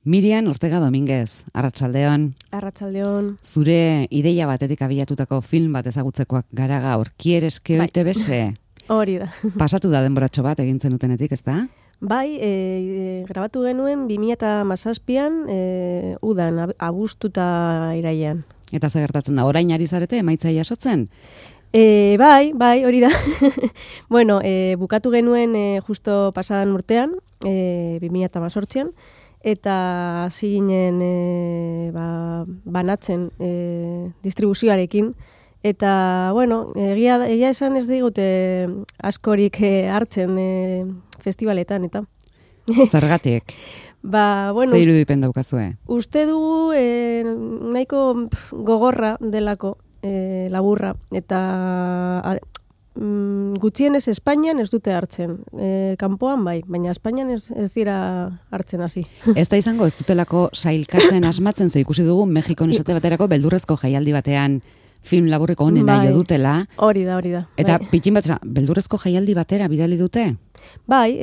Mirian Ortega Dominguez, arratsaldeon. Arratsaldeon. Zure ideia batetik abiatutako film bat ezagutzekoak gara gaur. Quieres que hoy te bese? Hori da. Pasatu da denboratxo bat egin zenutenetik, ezta? Bai, grabatu genuen 2017an, udan, abuztuta irailean. Eta ze gertatzen da, orain ari zarete emaitza jasotzen? Bai, hori da. Bueno, bukatu genuen justo pasadan urtean, 2018an, eta hasi ginen banatzen distribuzioarekin. Eta, bueno, egia esan ez digute askorik hartzen festivaletan, eta. Zergatik? Bueno, ze irudipen daukazue? Uste dugu nahiko gogorra delako, laburra, eta gutxienez Espainian ez dute hartzen. Kanpoan bai, baina Espainian ez dira hartzen hasi. Ez da izango ez dutelako sailkatzen asmatzen, ze ikusi dugu Mexikon esate baterako beldurrezko jaialdi batean film laburreko honena jo dutela. Hori da. Eta pitin bat, beldurrezko jaialdi batera bidali dute? Bai,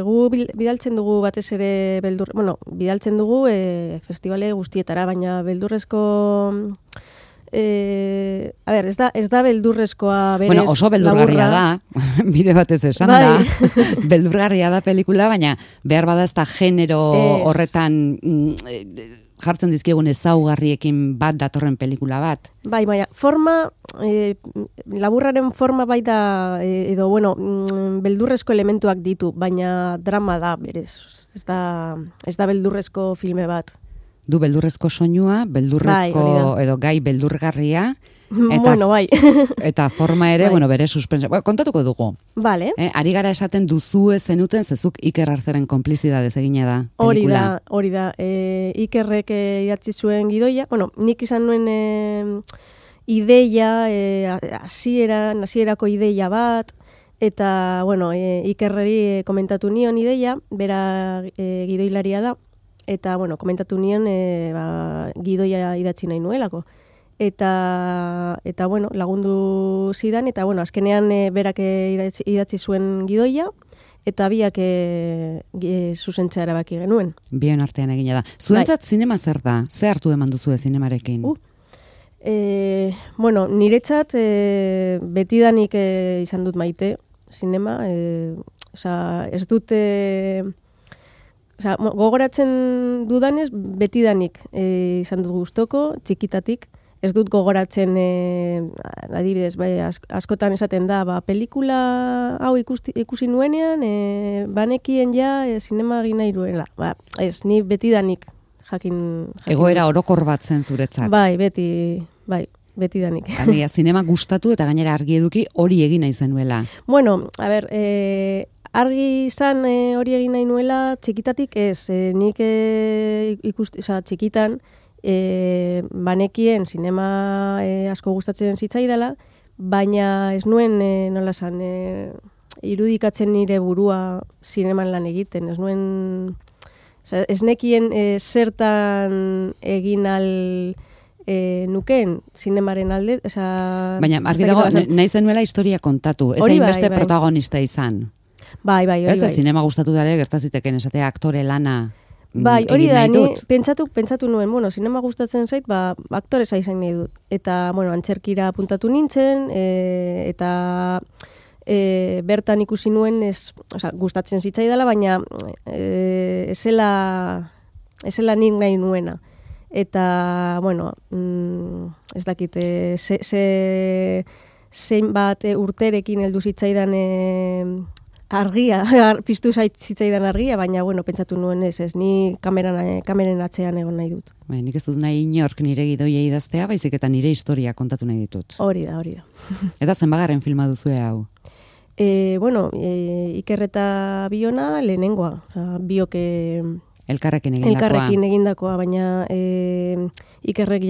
gu bidaltzen dugu batez ere bidaltzen dugu festivale guztietara, baina beldurrezko ez da beldurrezkoa berez. Bueno, oso beldurgarria da, bide batez esan da. Beldurgarria da pelikula, baina behar bada ez da genero horretan jartzen dizkiegun ezaugarriekin bat datorren pelikula bat. Bai, forma, laburraren forma bai da, beldurrezko elementuak ditu, baina drama da, berez. Ez da beldurrezko filme bat. Du beldurrezko soinua, beldurrezko edo gai beldurgarria. Bai. Eta forma ere, bere suspense. Kontatuko dugu. Vale. Ari gara esaten duzue zenuten, zezuk Iker Artzeren konplizidadez egina da pelikula. Hori da. Ikerrek idatzi zuen gidoia. Nik izan nuen ideia, hasierako ideia bat, eta, Ikerreri komentatu nion ideia, bera gidoilaria da, eta, komentatu nion gidoia idatzi nahi nuelako. Eta lagundu zidan, eta, azkenean berak idatzi zuen gidoia, eta biak zuzentzea erabaki genuen. Bien artean egina da. Zuentzat zinema zer da? Ze hartu eman duzue zinemarekin? Niretzat betidanik izan dut maite zinema. Ez dute... gogoratzen dudanez, betidanik izan dut gustoko, txikitatik. Ez dut gogoratzen, adibidez, askotan esaten da, pelikula hau ikusi nuenean, banekien zinema egin nahi duela. Ez, ni betidanik jakin. Egoera orokor bat zen zuretzat. Bai, betidanik. Zinema gustatu eta gainera argi eduki hori egin nahi zenuela. Argi izan hori egin nahi nuela, txikitatik ez. Nik txikitan, banekien zinema asko gustatzen zitzaidala, baina ez nuen, irudikatzen nire burua zineman lan egiten. Ez nekien zertan egin nukeen zinemaren alde. Baina, argi dago, nahi zenuela historia kontatu, ez hainbeste protagonista izan. Bai. Ez, zinema gustatu dara gertaziteken esatea aktore lana. Bai, hori da, ni pentsatu nuen, zinema gustatzen zait, aktore zaizan nahi dut. Eta, antzerkira apuntatu nintzen, eta bertan ikusi nuen, gustatzen zitzaidala, baina ezela nik nahi nuena. Eta, ez dakit, zein bat urterekin heldu zitzaidan argia, piztu zitzaidan argia, baina, pentsatu nuen ez, ni kameren atzean egon nahi dut. Nik ez dut nahi inork nire gidoia idaztea, baizik eta nire historia kontatu nahi ditut. Hori da. Eta zenbagarren filma duzue hau? Iker eta Biona lehenengoa, biok elkarrekin egindakoa, baina Ikerrek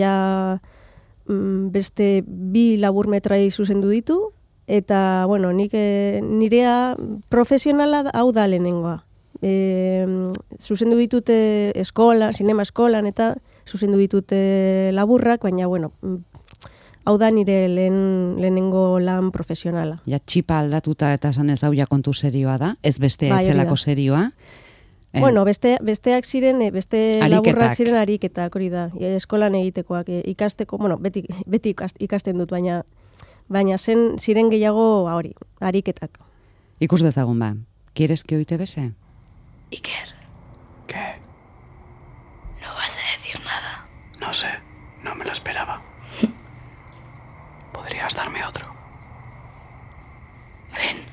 beste 2 laburmetrai zuzendu ditu, eta, nik nirea profesionala hau da lehenengoa. Zuzendu ditute zinema eskolan, eta zuzendu ditute laburrak, baina, hau da nire lehenengo lan profesionala. Ja, txipa aldatuta eta esan ez hau ja kontu serioa da, ez beste etzelako serioa. Bueno, besteak ziren, beste laburrak ziren ariketak, hori da, eskolan egitekoak, ikasteko, bueno, beti ikasten dut, baina ziren gehiago hori, ariketak. Ikus dezagun ba, ¿quieres que hoy te bese? Iker. ¿Qué? ¿No vas a decir nada? No sé, no me lo esperaba. ¿Podrías darme otro? Ven.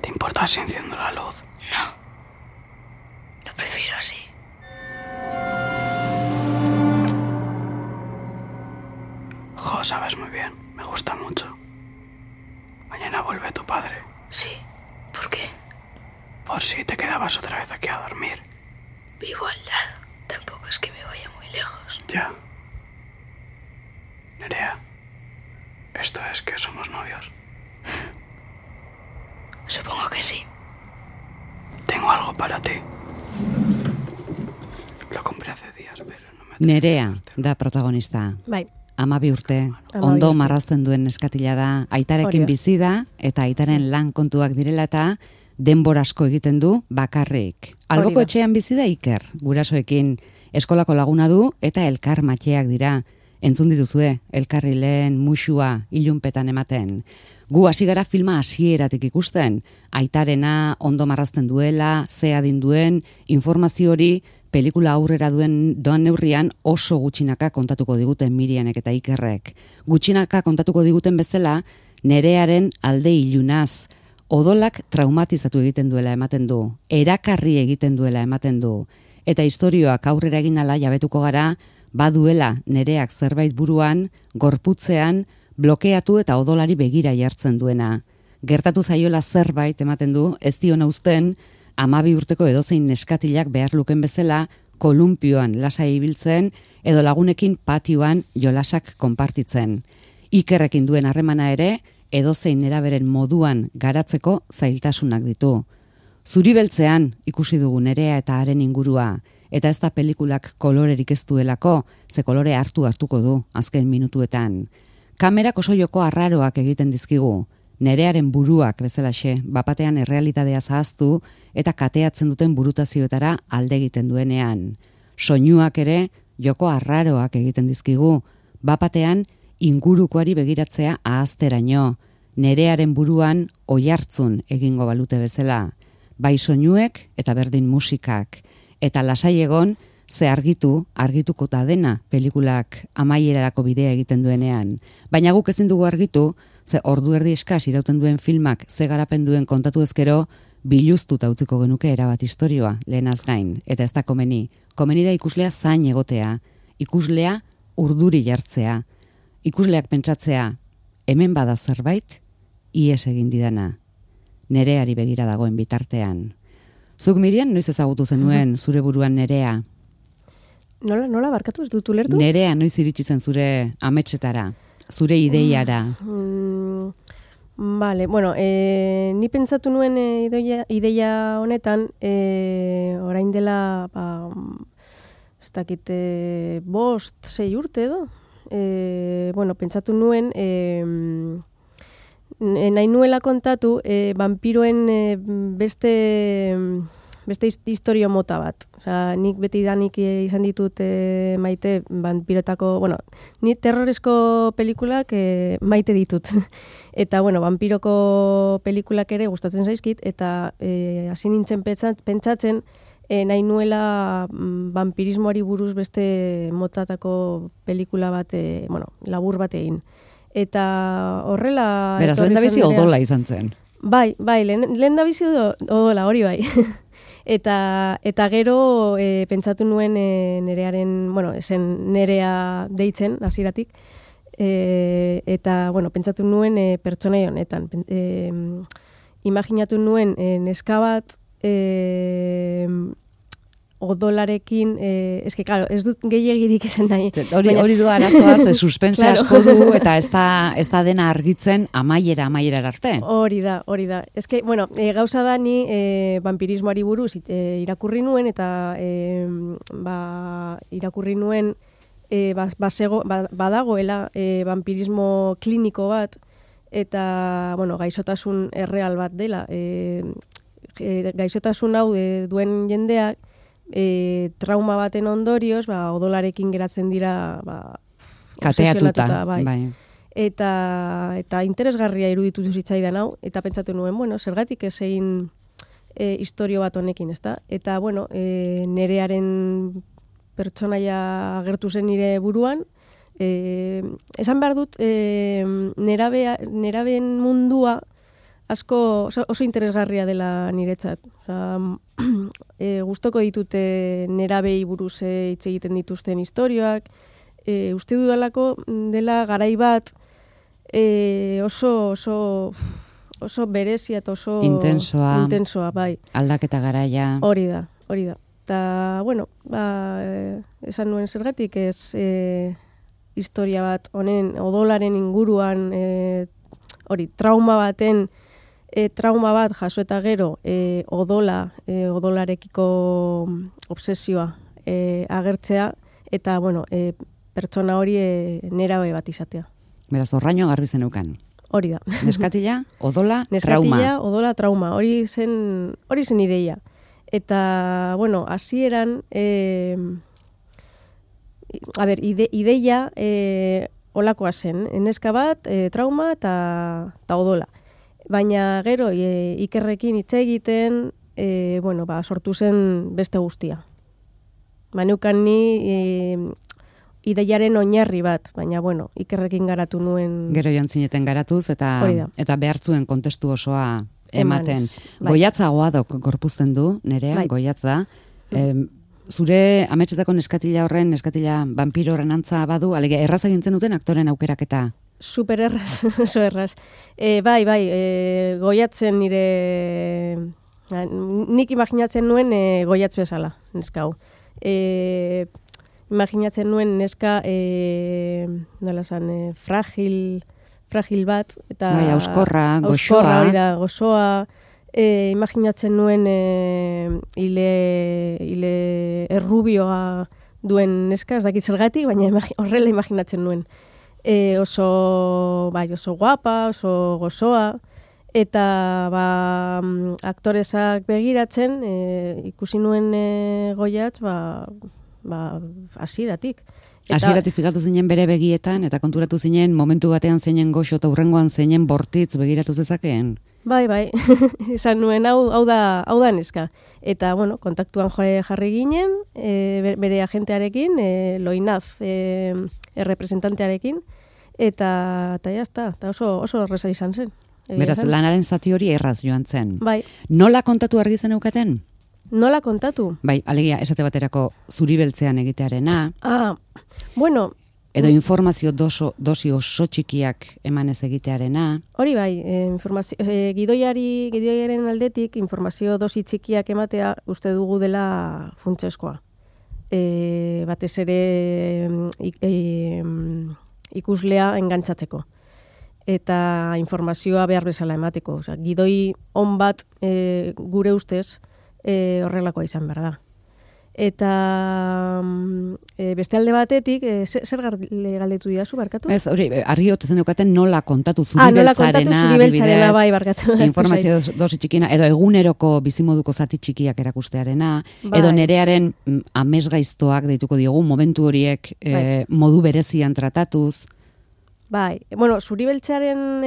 ¿Te importa si enciendo la luz? No. Lo prefiero así. Jo, sabes muy bien, me gusta mucho. Mañana vuelve tu padre. Sí. ¿Por qué? Por si te quedabas otra vez aquí a dormir. Vivo al lado. Tampoco es que me vaya muy lejos. Ya. Nerea, ¿esto es que somos novios? Supongo que sí. Tengo algo para ti. Lo compré hace días, pero no me... Nerea da protagonista. Bai. 12 urte, ondo marrazten duen neskatila da, aitarekin bizi da, eta aitaren lan kontuak direla eta denbora asko egiten du bakarrik. Alboko etxean bizi da Iker, gurasoekin eskolako laguna du eta elkar matxeak dira. Entzun dituzue, elkarri lehen musua ilunpetan ematen. Gu hasi gara filma hasieratik ikusten, aitarena ondo marrazten duela, ze adin duen, informazio hori pelikula aurrera doan neurrian oso gutxinaka kontatuko diguten Mirianek eta Ikerrek. Gutxinaka kontatuko diguten bezala, Nerearen alde ilunaz, odolak traumatizatu egiten duela ematen du, erakarri egiten duela ematen du, eta istorioak aurrera egin ala jabetuko gara, baduela Nereak zerbait buruan, gorputzean, blokeatu eta odolari begira jartzen duena. Gertatu zaiola zerbait ematen du, ez diona uzten, 12 urteko edozein neskatilak behar luken bezala, kolumpioan lasai ibiltzen, edo lagunekin patioan jolasak konpartitzen. Ikerrekin duen harremana ere, edozein neraberen moduan garatzeko zailtasunak ditu. Zuri beltzean ikusi dugu Nerea eta haren ingurua, eta ez da pelikulak kolorerik ez duelako, ze kolore hartuko du azken minutuetan. Kamerak oso joko arraroak egiten dizkigu, Nerearen buruak bezalaxe, bapatean errealitatea zahaztu eta kateatzen duten burutazioetara alde egiten duenean. Soinuak ere joko arraroak egiten dizkigu, bapatean ingurukoari begiratzea ahazteraino, Nerearen buruan oihartzun egingo balute bezala, bai soinuek eta berdin musikak, eta lasai egon ze argituko ta dena pelikulak amaierarako bidea egiten duenean. Baina guk ezin dugu argitu, ze ordu erdi eskas irauten duen filmak ze garapen duen kontatu ezkero, biluztuta utziko genuke erabat istorioa lehenaz gain, eta ez da komeni. Komeni da ikuslea zain egotea, ikuslea urduri jartzea, ikusleak pentsatzea, hemen bada zerbait, ies egin didana. Nereari begira dagoen bitartean. Zuk Mirian, noiz ezagutu zenuen zure buruan Nerea? Nola barkatu ez dut ulertu? Nerea noiz iritsi zen zure ametsetara, zure ideiara? Vale, bueno, ni pentsatu nuen ideia honetan, orain dela, ez dakit, 5-6 urte edo? Bueno, pentsatu nuen, nahi nuela kontatu, vampiroen beste historio mota bat. Osea, nik beti danik izan ditut maite vampirotako, bueno, ni terroresko pelikulak maite ditut. Eta, bueno, vampiroko pelikulak ere gustatzen zaizkit, eta hasi nintzen pentsatzen, nahi nuela vampirismoari buruz beste motatako pelikula bat, bueno, labur bat egin. Eta horrela... Beraz, lehen da bizi odola izan zen. Bai, lehen da bizi odola, hori bai. Eta gero pentsatu nuen Nerearen, bueno, esen Nerea deitzen, hasieratik, eta, bueno, pentsatu nuen pertsonai honetan. Imaginatu nuen neska bat odolarekin, eske, claro, ez dut gehiagirik izan nahi. Hori du arazoa, ze suspense asko du, eta ez da dena argitzen amaiera arte. Hori da. Eske, bueno, gauza da ni vampirismoari buruz irakurri nuen, eta irakurri nuen badagoela vampirismo kliniko bat, eta, bueno, gaixotasun erreal bat dela, gaixotasun hau duen jendeak trauma baten ondorioz, odolarekin geratzen dira kateatuta, bai. Eta interesgarria iruditu zitzaidan hau, eta pentsatu nuen, bueno, zergatik ez egin historio bat honekin, ezta? Eta, bueno, nerearen pertsonaia agertu zen nire buruan, esan behar dut, nerabeen mundua asko oso interesgarria dela niretzat. Gustoko ditute nerabei buruz hitz egiten dituzten historioak, uste dudalako dela garai bat oso berezia eta oso intensoa, bai. Aldaketa garaia. Hori da. Eta, bueno, esan nuen zergatik ez historia bat honen odolaren inguruan trauma bat jaso eta gero odolarekiko obsesioa agertzea eta, bueno, pertsona hori nerabe bat izatea. Beraz, horraino garbi zeneukan. Hori da. Neskatila, odola, trauma. Neskatila, odola, trauma. Hori zen ideia. Eta, bueno, hasieran ideia olakoa zen. Neska bat, trauma eta odola. Baina gero, Ikerrekin hitz egiten, sortu zen beste guztia. Neukan ni ideiaren oinarri bat, baina, bueno, Ikerrekin garatu nuen... Gero joan zineten garatuz, eta behartzuen kontestu osoa ematen. Bai. Goiatzagoa gorpuzten du, Nerea, bai. Goiatz da. Zure ametsetako neskatila vampiro horren antza badu, alegia, erraz egintzen duten aktoren aukeraketa? Super erraz, oso erraz. Bai, goiatzen nire... Nik imaginatzen nuen goiatz bezala, neska hau. Imaginatzen nuen neska fragil bat. Eta bai, auskorra, goxoa. Hori da, goxoa. Imaginatzen nuen hile errubioa duen neska, ez dakit zergatik, baina horrela imaginatzen nuen. Oso guapa, oso gozoa, eta aktoresak begiratzen, ikusi nuen Goiatz, hasieratik. Hasieratik fikatu zinen bere begietan, eta konturatu zinen momentu batean zeinen goxo eta hurrengoan zeinen bortitz begiratu zezakeen? Bai, esan nuen hau da neska. Eta, bueno, kontaktuan jarri ginen, bere agentearekin, Loinaz, errepresentantearekin, eta jazta, eta oso erreza izan zen. Beraz, lanaren zati hori erraz joan zen. Bai. Nola kontatu argi zen eukaten? Nola kontatu? Bai, alegia, esate baterako zuri beltzean egitearena. Bueno... Edo informazio dosi oso txikiak emanez egitearena. Hori bai, gidoiaren aldetik informazio dosi txikiak ematea uste dugu dela funtseskoa. Batez ere ikuslea engantzatzeko. Eta informazioa behar bezala emateko. Gidoi on bat gure ustez horrelakoa izan behar da. Eta beste alde batetik, zer galdetu didazu, barkatu? Ez, hori, argi otezen eukaten nola kontatu zuri beltzarena, bai, barkatu. Informazio dosi txikina, edo eguneroko bizimoduko zati txikiak erakustearena, bai. Edo Nerearen amesgaiztoak deituko diogu, momentu horiek modu berezian tratatuz. Bai, bueno, zuri beltzaren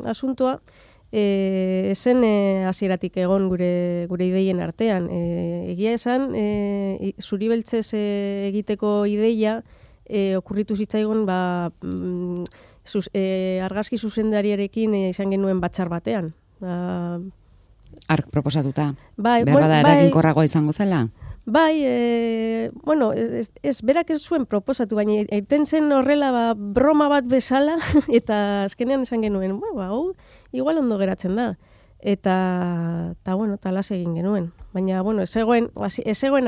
asuntoa, esen hasieratik egon gure ideien artean. Egia esan, zuri beltzez egiteko ideia okurritu zitzaigun argazki zuzendariarekin izan genuen batzar batean. Ark proposatuta? Bai, berbada eraginkorragoa izango zela? Bai, berak ez zuen proposatu, baina egiten zen horrela broma bat bezala, eta azkenean esan genuen, hau, igual ondo geratzen da. Eta talas egin genuen. Baina, ez zegoen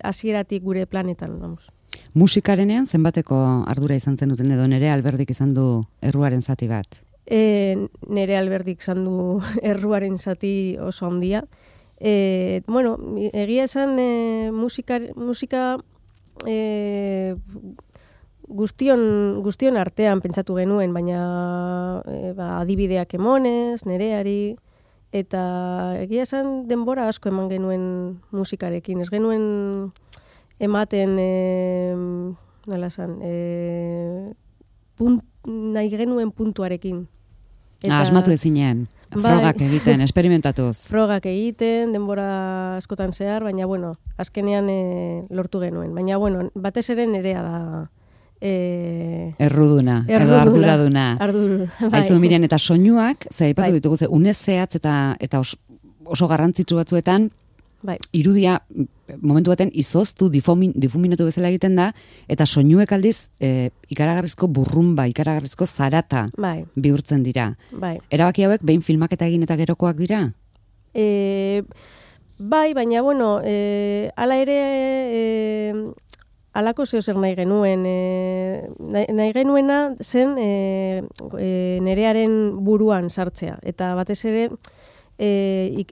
hasieratik gure planetan, vamos. Musikarenean zenbateko ardura izan zenuten edo Nerea Alberdik izan du erruaren zati bat? Nerea Alberdik izan du erruaren zati oso handia. Egia esan musika guztion artean pentsatu genuen, baina adibideak emonez, Nereari, Eta egia esan denbora asko eman genuen musikarekin. Ez genuen ematen, nola esan, nahi genuen puntuarekin. Asmatu ezinean, frogak egiten, esperimentatuz. Frogak egiten, denbora askotan zehar, baina, bueno, azkenean lortu genuen. Baina, bueno, batez ere nerea da... Erruduna, edo arduraduna. Aizu, Mirian, eta soinuak, ze aipatu ditugu, ze unez zehatz eta oso garrantzitsu batzuetan, irudia momentu baten izoztu, difuminatu bezala egiten da, eta soinuek aldiz ikaragarrizko burrumba, ikaragarrizko zarata bihurtzen dira. Erabaki hauek behin filmaketa egin eta gerokoak dira? Baina, bueno, ala ere... Alako zer nahi genuen. Nahi genuena zen nerearen buruan sartzea. Eta batez ere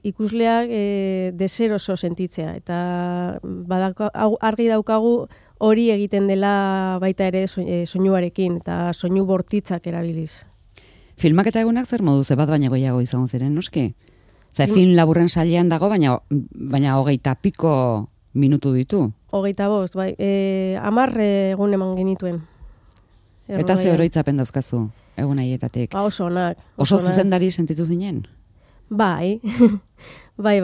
ikusleak deseroso sentitzea. Eta argi daukagu hori egiten dela baita ere soinuarekin eta soinu bortitzak erabiliz. Filmaketa egunak zer modu bat baina goiago izango ziren, noski? Film laburren sailean dago, baina 20 piko minutu ditu. 25, bai. 10 egun eman genituen. Eta ze oroitzapen dauzkazu, egun haietatik? Oso onak. Oso zuzendari sentitu zinen? Bai. Bai.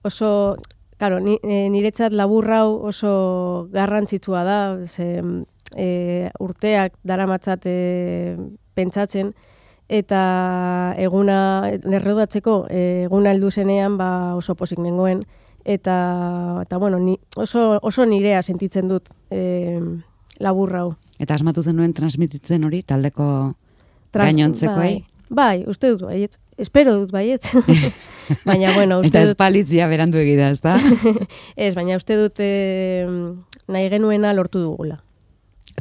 Oso, claro, niretzat laburrau oso garrantzitsua da, urteak daramatzat pentsatzen, eta eguna, errodatzeko, eguna heldu zenean oso pozik nengoen, eta bueno, oso nirea sentitzen dut laburrau. Eta asmatu zenuen transmititzen hori taldeko gainontzekoei? Bai, uste dut baietz. Espero dut baietz. Baina, bueno, uste dut... Eta espalitzia berandu egida, ez da? Ez, baina uste dut nahi genuena lortu dugula.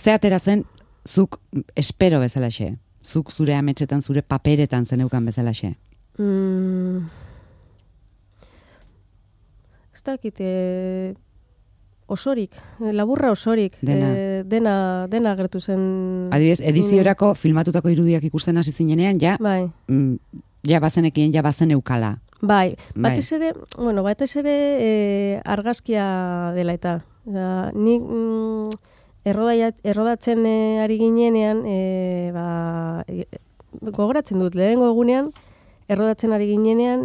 Ze atera zen, zuk espero bezalaxe? Zuk zure ametsetan, zure paperetan zeneukan bezalaxe? Ez dakit, osorik, laburra osorik, dena gertu zen... Adibidez, ediziorako filmatutako irudiak ikusten hasi zinenean, ja bazenekien, ja bazen eukala. Bai, batez ere argazkia dela eta. Nik errodatzen ari ginenean, gogoratzen dut, lehenengo egunean, errodatzen ari ginenean,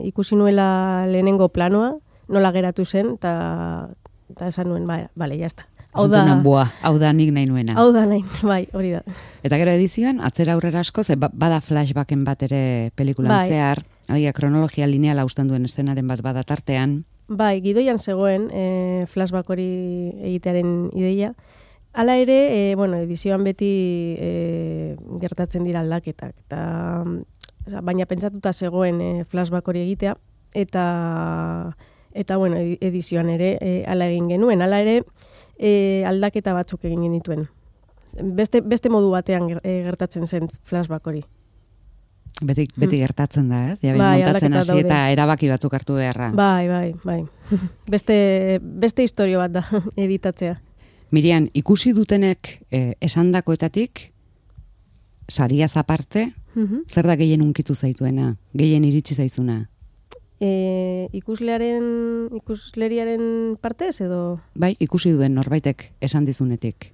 ikusi nuela lehenengo planoa, nola geratu zen, eta esan nuen, bale, jazta. Hau da nik nahi nuena. Hau da nahi, bai, hori da. Eta gero edizioan, atzera aurrera asko, ze bada flashbacken bat ere pelikulan zehar, kronologia lineala usten duen eszenaren bat bada tartean. Bai, gidoian zegoen flashback hori egitearen ideia. Hala ere, edizioan beti gertatzen dira aldaketak. Baina pentsatuta zegoen flashback hori egitea, eta edizioan ere hala egin genuen. Hala ere, aldaketa batzuk egin genituen. Beste modu batean gertatzen zen flashback hori. Beti gertatzen da, ez? Montatzen hasi eta erabaki batzuk hartu beharra. Bai. Beste historio bat da editatzea. Mirian, ikusi dutenek esandakoetatik, sariaz aparte, zer da gehien unkitu zaituena? Gehien iritsi zaizuna? Ikusleriaren partez edo? Bai, ikusi duen norbaitek esan dizunetik.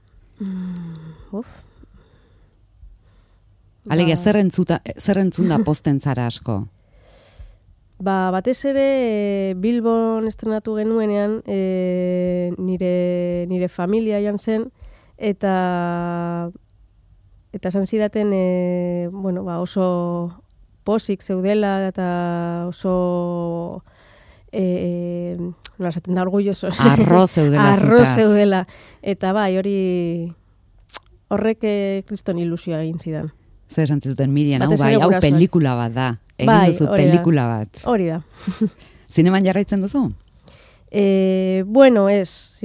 Alegia, zer entzun da posten zara asko? Batez ere Bilbon estrenatu genuenean nire familia jan zen, eta esan zidaten oso posik zeudela eta oso nola esaten da, orgullosos. Arro zeudela. Eta bai, horrek kriston ilusioa egin zidan. Zer esan zuten, Mirian, hau pelikula bat da. Egin duzu pelikula bat. Hori da. Zineman jarraitzen duzu? Ez.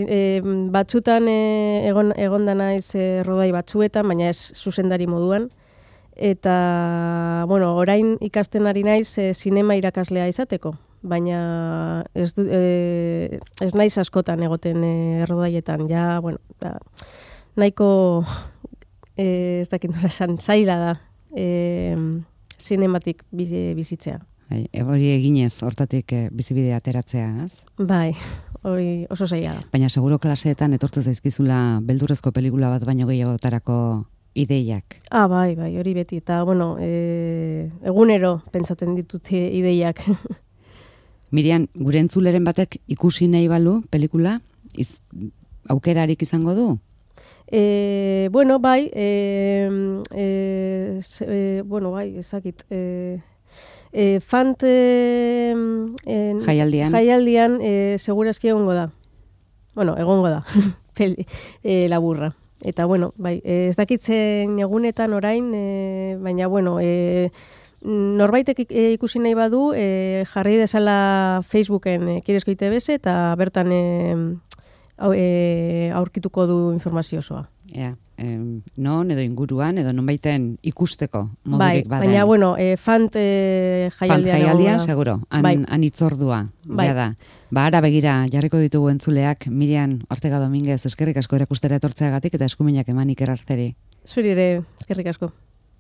Batzutan egon da naiz rodai batzuetan, baina ez zuzendari moduan. Eta, orain ikasten ari naiz zinema irakaslea izateko. Baina ez naiz askotan egoten errodaietan. Ja, nahiko ez dakit nola esan, zaila da zinematik bizitzea. Bai, hori eginez, hortatik bizibidea ateratzea, ez? Bai, hori oso zaila da. Baina seguro klaseetan etortu zaizkizula beldurrezko pelikula bat baino gehiagotarako ideiak. Bai, hori beti. Eta, bueno, egunero pentsatzen ditut ideiak. Mirian, gure entzuleren batek ikusi nahi balu pelikula, aukerarik izango du? Bueno, bai, ezakit, Fant jaialdian segurazki egongo da. Bueno, egongo da, laburra. Eta, bueno, bai, ez dakitzen egunetan orain, baina, bueno, norbaitek ikusi nahi badu, jarri dezala Facebooken Kidezko ITBS eta bertan aurkituko du informazio osoa. Non, edo inguruan, edo nonbaiten ikusteko modurik baden. Baina, bueno, Fant jaialdian seguro, han itzordua. Bai. Da. Ara begira, jarriko ditugu entzuleak, Mirian Ortega Dominguez, eskerrik asko erakustera etortzeagatik eta eskuminak eman Iker Artzeri. Zuri ere, eskerrik asko.